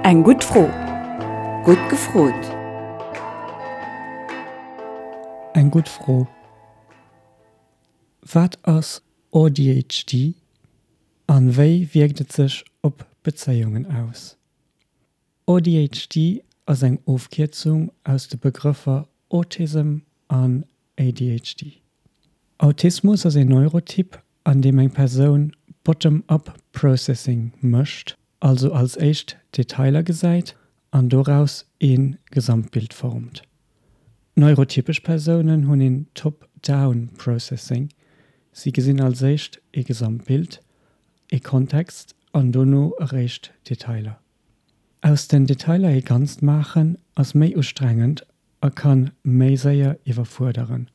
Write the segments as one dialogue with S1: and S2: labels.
S1: Eng gutt Fro.
S2: Gutt gefrot.
S3: Eng gutt Fro. Wat ass AuDHD an wéi wierkt et sech op Bezéiungen aus? AuDHD ass eng Ofkierzung aus de Begrëffer Autism an ADHD. Autismus ass een Neurotyp, an deem eng Persoun Bottom-up Processing mécht, also als éischt Detailer gesäit an doraus ee Gesamtbild formt. Neurotypesch Persounen hunn een Top-down Processing, si gesinn als éischt ee Gesamtbild, ee Kontext an dono eréischt Detailer. Aus den Detailer ee Ganzt maachen ass méi ustrengend a kann méi séier iwwerfuerderen.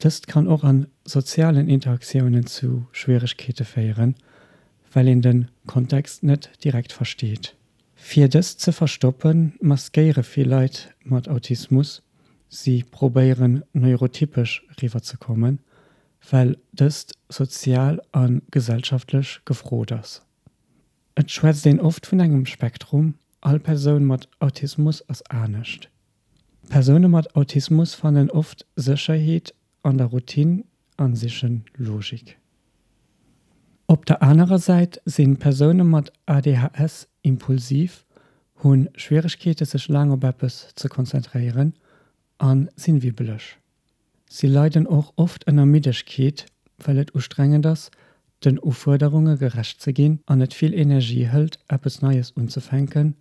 S3: Dëst kann och an sozialen Interaktiounen zu Schwieregkeete féieren, well een den Kontext net direkt versteet. Fir dëst ze verstoppen, maskéiere vill Leit mat Autismus, si probéieren neurotypesch riwwer ze kommen, well dëst sozial a gesellschaftlech gefrot ass. Et schwätzt een oft vun engem Spektrum, all Persoun mat Autismus ass anescht. Persoune mat Autismus fannen oft Sécherheet an der Routine an sichen Logik. Op der anerer Säit sinn Persoune mat ADHS impulsiv, hunn Schwieregkeete sech laang op eppes ze konzentréieren an sinn wibbeleg. Si leiden och oft ënner Middegkeet, well et ustrengend ass, den Ufuerderunge gerecht ze ginn an et vill Energie hëlt, eppes Neies unzefänken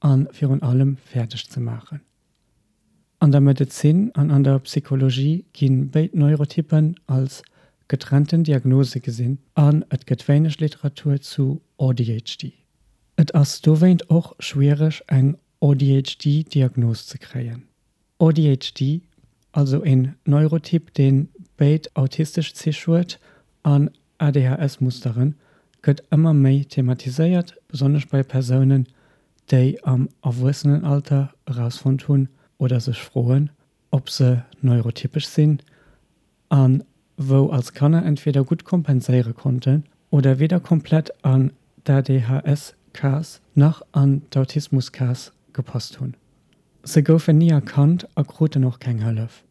S3: a virun allem fäerdeg ze maachen. An der Medezin an an der Psychologie gi béid Neurotypen als getrennten Diagnose gesinn an et gëtt wéineg Literatur zu AuDHD. Et ass dowéint och schwiereg eng AuDHD-Diagnos ze kréien. AuDHD, also een Neurotyp deen béid autistesch Zich huet an ADHS-Musteren, gëtt ëmmer méi thematiséiert, besonnesch bei Persounen, déi am Erwuessenenalter erausfonnt hunn oder sech froen, ob se neurotypesch sinn, a wou als Kanner entweder gutt kompenséiere konnten oder weder komplett an d'ADHS-Case nach an d'Autismus-Case gepasst hunn. Se goufen ni erkannt a kruten och keng Hëllef.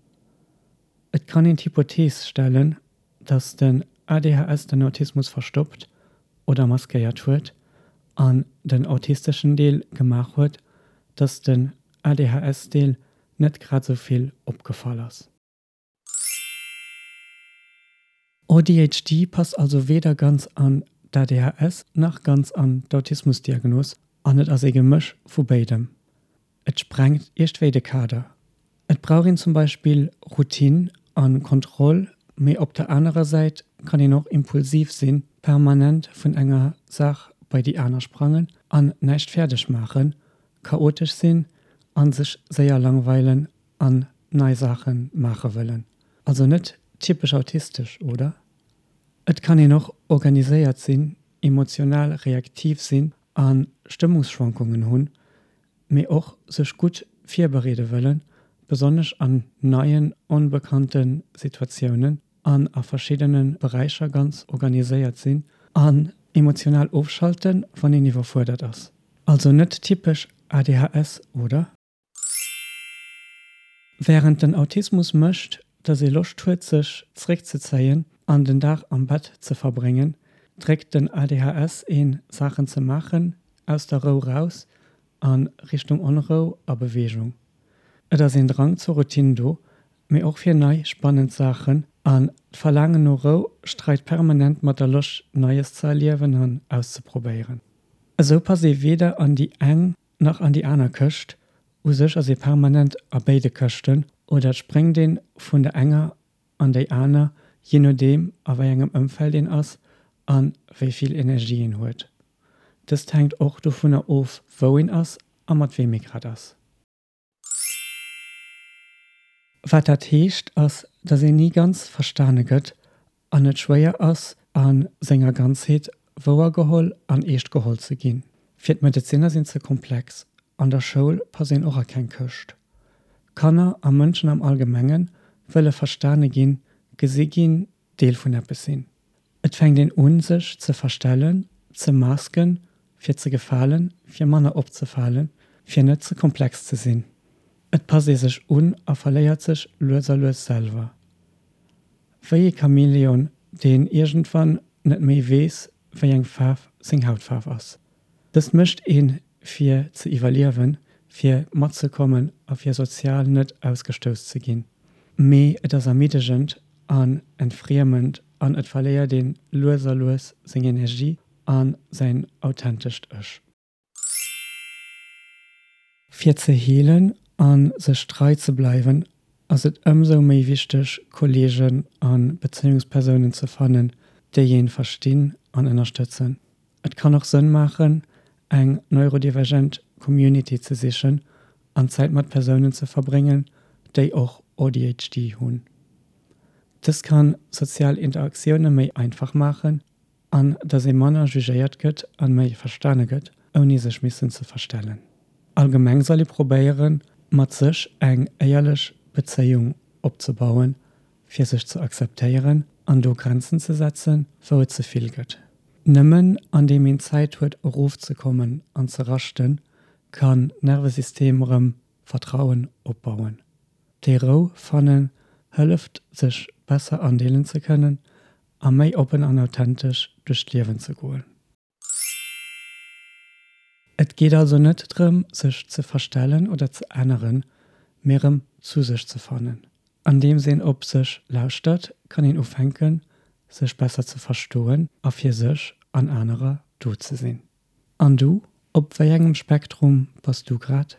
S3: Et kann een d'Hypothees stellen, datt den ADHS den Autismus verstoppt oder maskéiert huet an den autisteschen Deel gemaach huet, datt den ADHS-Deel net grad sou vill opgefall ass. AuDHD passt also weder ganz an d'ADHS nach ganz an d'Autismusdiagnos an et ass ee Gemësch vu béidem. Et sprengt iergdwéi de Kader. Et brauch een zum Beispill Routine an Kontroll, mee op der anerer Säit kann een och impulsiv sinn, permanent vun enger Saach bei déi aner sprangen an näischt fäerdeg maachen, chaotesch sinn an sech séier langweilen an nei Saache maache wëllen. Also net typesch autistesch, oder? Et kann een och organiséiert sinn, emotional reaktiv sinn a Stëmmungsschwankungen hunn, mee och sech gutt virbereede wëllen, besonnesch an neien, onbekannte Situatiounen an a verschiddene Beräicher ganz organiséiert sinn an emotional ofschalten, wann een iwwerfuerdert ass. Also net typesch ADHS, oder? Wärend den Autismus mécht, dass ee Loscht huet sech zeréckzezéien an den Dag am Bett ze verbréngen, dréckt den ADHS een, Saachen ze maachen, aus der Rou raus a Richtung Onrou a Beweegung. Et ass een Drang zur Routine do, mee och fir nei, spannend Saachen an d'Verlaangen no Rou streit permanent mat der Loscht Neies ze erliewen an auszeprobéieren. Esou passt ee weder an déi eng nach an déi aner Këscht, u sech ass ee permanent a béide Këschten oder et spréngt een vun der enger an déi aner, jee nodeem a wéi engem Ëmfeld een ass a wéi vill Energie een huet. Dëst hänkt och dovunner of wou een ass a mat weem ee grad ass. Wat dat heescht ass, dass een ni ganz verstane gëtt an et schwéier ass a senger Ganzheet wouergeholl an eescht geholl ze ginn. Fir d'Medezinner sinn ze komplex, an der Schoul passt een och a keng Këscht. Kanner a Mënschen am Allgemenge wëlle verstane ginn, gesi ginn, Deel vun eppes sinn. Et fänkt een un sech ze verstellen, ze masken. Fir ze gefalen, fir manner opzefalen, fir net ze komplex ze sinn. Et passt ee sech un a verléiert sech lues a lues selwer. Wéi ee Chamäleon, deen iergendwann net méi weess, wéi eng Faarf seng Hautfaarf ass. Dëst mécht een, fir ze iwwerliewen, fir matzekommen a fir sozial net ausgestouss ze ginn. Mee et ass ermiddegend an entfriemend an et verléiert een lues a lues seng Energie a säin authentescht Ech. Fir ze heelen a sech trei ze bleiwen, ass et ëmsou méi wichteg, Kolleegen a Bezéiungspersounen ze fannen, déi een verstinn an ënnerstëtzen. Et kann och Sënn maachen, eng neurodivergent Community ze sichen an Zäit mat Persounen ze verbréngen, déi och ADHD hunn. Dëst kann sozial Interaktioune méi einfach maachen an dass ee manner jugéiert gëtt an méi verstane gëtt, ouni sech missen ze verstellen. Allgemeng soll ee probéieren, mat sech eng éierlech Bezéiung opzebauen, fir sech ze akzeptéieren an do Grenzen ze setzen, wou et ze vill gëtt. Nëmmen andeem een Zäit huet erofzekommen an ze raschten, kann d'Nervesystem erëm Vertrauen opbauen. Déi Rou fannen hëlleft sech besser andeelen ze kënnen a méi oppen an authentesch duerch d'Liewen ze goen. Et geet also net drëm sech ze verstellen oder ze änneren, mee erëm zu sech ze fannen. Andeems een op sech lauschtert, kann een ufänken sech besser ze verstoen a fir sech an anerer do ze sinn. An du, op wéi engem Spektrum bass du grad?